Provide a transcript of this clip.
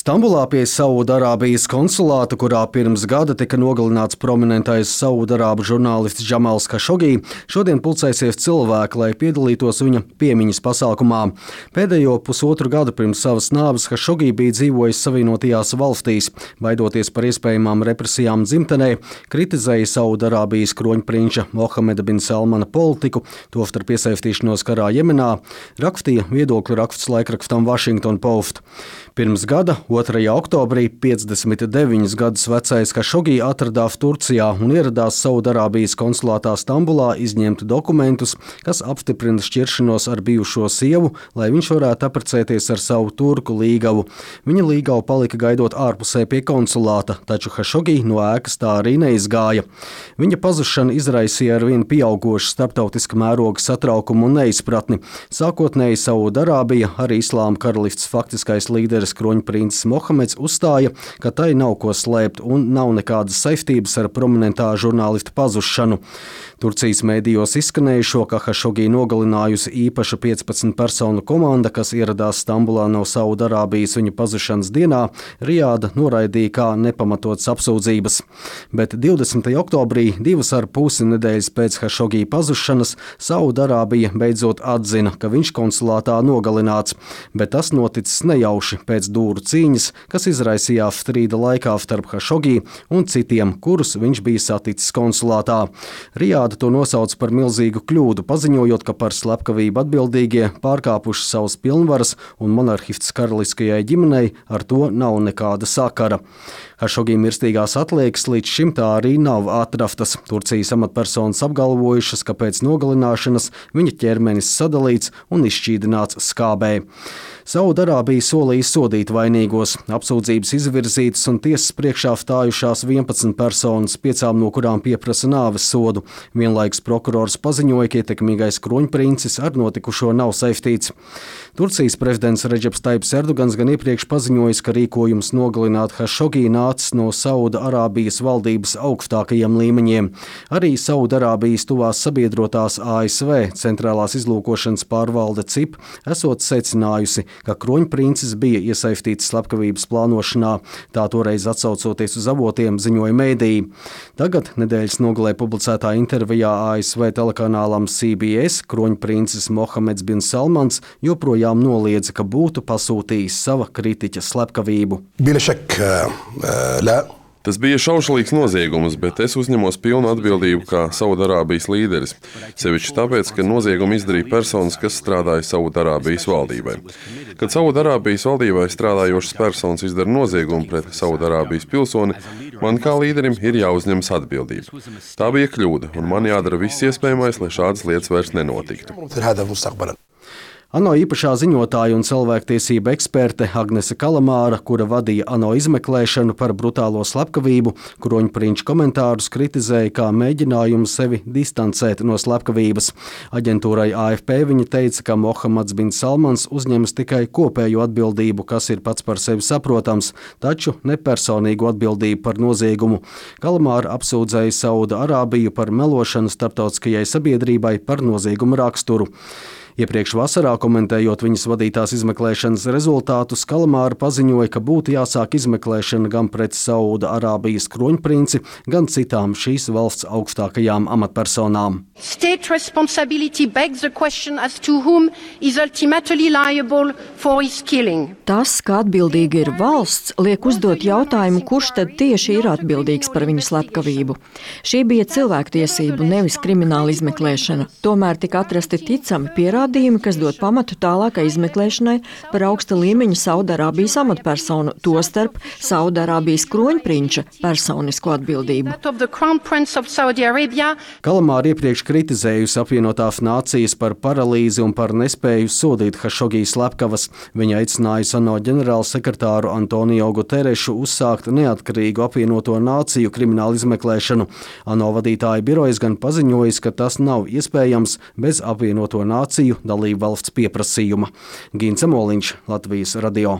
Stambulā pie Saudarābijas konsulāta, kurā pirms gada tika nogalināts prominentais Saudarābu žurnālists Džamals Hašogī, šodien pulcēsies cilvēki, lai piedalītos viņa piemiņas pasākumā. Pēdējo pusotru gadu pirms savas nāves Hašogī bija dzīvojis Savienotajās valstīs, baidoties par iespējamām represijām dzimtenē, kritizēja Saudarābijas kroņprinča Mohameda bin Salmana politiku, tostarp iesaistīšanos karā Jemenā, rakstīja viedokļu raksts laikrakstam Washington Post. Pirms gada, 2. oktobrī, 59 gadus vecais Hašogī atradās Turcijā un ieradās Saudarābijas konsulātā Stambulā izņemt dokumentus, kas apstiprina šķiršanos ar bijušo sievu, lai viņš varētu apprecēties ar savu turku līgavu. Viņa līgava palika gaidot ārpusē pie konsulāta, taču Hašogī no ēkas tā arī neizgāja. Viņa pazušana izraisīja arvien pieaugošu starptautiska mēroga satraukumu un neizpratni. Sākotnēji Saudarābija, arī Islāma karalists faktiskais līderis kroņprincis Mohameds uzstāja, ka tai nav ko slēpt un nav nekādas saistības ar prominentā žurnālista pazušanu. Turcijas mēdījos izskanējušo, ka Hašogī nogalinājusi īpaša 15 personu komanda, kas ieradās Stambulā no Saudarābijas viņa pazušanas dienā, Rijāda noraidīja kā nepamatotas apsūdzības. Bet 20. oktobrī, 2,5 nedēļas pēc Hašogī pazušanas, Saudarābija beidzot atzina, ka viņš konsulātā nogalināts, bet tas noticis nejauši pēc dūru cīņas, kas izraisījās strīda laikā starp Hašogī un citiem, kurus viņš bija saticis konsulātā. Rijāda to nosauc par milzīgu kļūdu, paziņojot, ka par slepkavību atbildīgie pārkāpuši savas pilnvaras un monarhists karaliskajai ģimenei ar to nav nekāda sakara. Hašogī mirstīgās atliekas līdz šim tā arī nav atrastas. Turcijas amatpersonas apgalvojušas, ka pēc nogalināšanas viņa ķermenis sadalīts un izšķīdināts skābē. Saudarābija solīja sodīt vainīgos. Apsūdzības izvirzītas un tiesas priekšā stājušās 11 personas, 5 no kurām pieprasa nāves sodu. Vienlaikus prokurors paziņoja, ka ietekmīgais kroņprincis ar notikušo nav saistīts. Turcijas prezidents Redžeps Taips Erdogans gan iepriekš paziņojis, ka rīkojums nogalināt Hašogī nācis no Saudarābijas valdības augstākajiem līmeņiem. Arī Saudarābijas tuvās sabiedrotās ASV centrālās izlūkošanas pārvalde CIP esot secinājusi, ka kroņprincis bija iesaistīts slepkavības plānošanā, tā toreiz atsaucoties uz avotiem, ziņoja mēdīji. Tagad nedēļas nogalē publicētā intervijā ASV telekanālam CBS kroņprincis Mohameds bin Salmans joprojām noliedza, ka būtu pasūtījis sava kritiķa slepkavību. Tas bija šaušalīgs noziegums, bet es uzņemos pilnu atbildību kā Saudarābijas līderis. Sevišķi tāpēc, ka noziegumu izdarīja personas, kas strādāja Saudarābijas valdībai. Kad Saudarābijas valdībai strādājošas personas izdara noziegumu pret Saudarābijas pilsoni, man kā līderim ir jāuzņemas atbildība. Tā bija kļūda, un man jādara viss iespējamais, lai šādas lietas vairs nenotiktu. ANO īpašā ziņotāja un cilvēktiesība eksperte Agnese Kalamāra, kura vadīja ANO izmeklēšanu par brutālo slepkavību, kroņprinča komentārus kritizēja kā mēģinājumu sevi distancēt no slepkavības. Aģentūrai AFP viņa teica, ka Mohameds bin Salmans uzņemas tikai kopējo atbildību, kas ir pats par sevi saprotams, taču ne personīgu atbildību par noziegumu. Kalamāra apsūdzēja Saudarābiju par melošanu starptautiskajai sabiedrībai par noziegumu raksturu. Iepriekš vasarā, komentējot viņas vadītās izmeklēšanas rezultātus, Kalamāra paziņoja, ka būtu jāsāk izmeklēšana gan pret Saudarābijas kroņprinci, gan citām šīs valsts augstākajām amatpersonām. State responsibility begs the question as to whom is ultimately liable for his killing. Tas, ka atbildīga ir valsts, liek uzdot jautājumu, kurš tad tieši ir atbildīgs par viņu slepkavību. Šī bija cilvēktiesību, nevis krimināla izmeklēšana. Tomēr tika atrasti ticami pierādījumi, kas dod pamatu tālākai izmeklēšanai par augsta līmeņa Saudarābijas amatpersonu, tostarp Saudarābijas kroņprinča personisko atbildību. Kalamāra iepriekš kritizējusi apvienotās nācijas par paralīzi un par nespēju sodīt Hašogī slepkavas. Viņa aicinājusi ANO ģenerālsekretāru Antonio Guterešu uzsākt neatkarīgu apvienoto nāciju kriminālu izmeklēšanu. ANO vadītāja birojas gan paziņojis, ka tas nav iespējams bez apvienoto nāciju dalību valsts pieprasījuma. Gints Moliņš, Latvijas radio.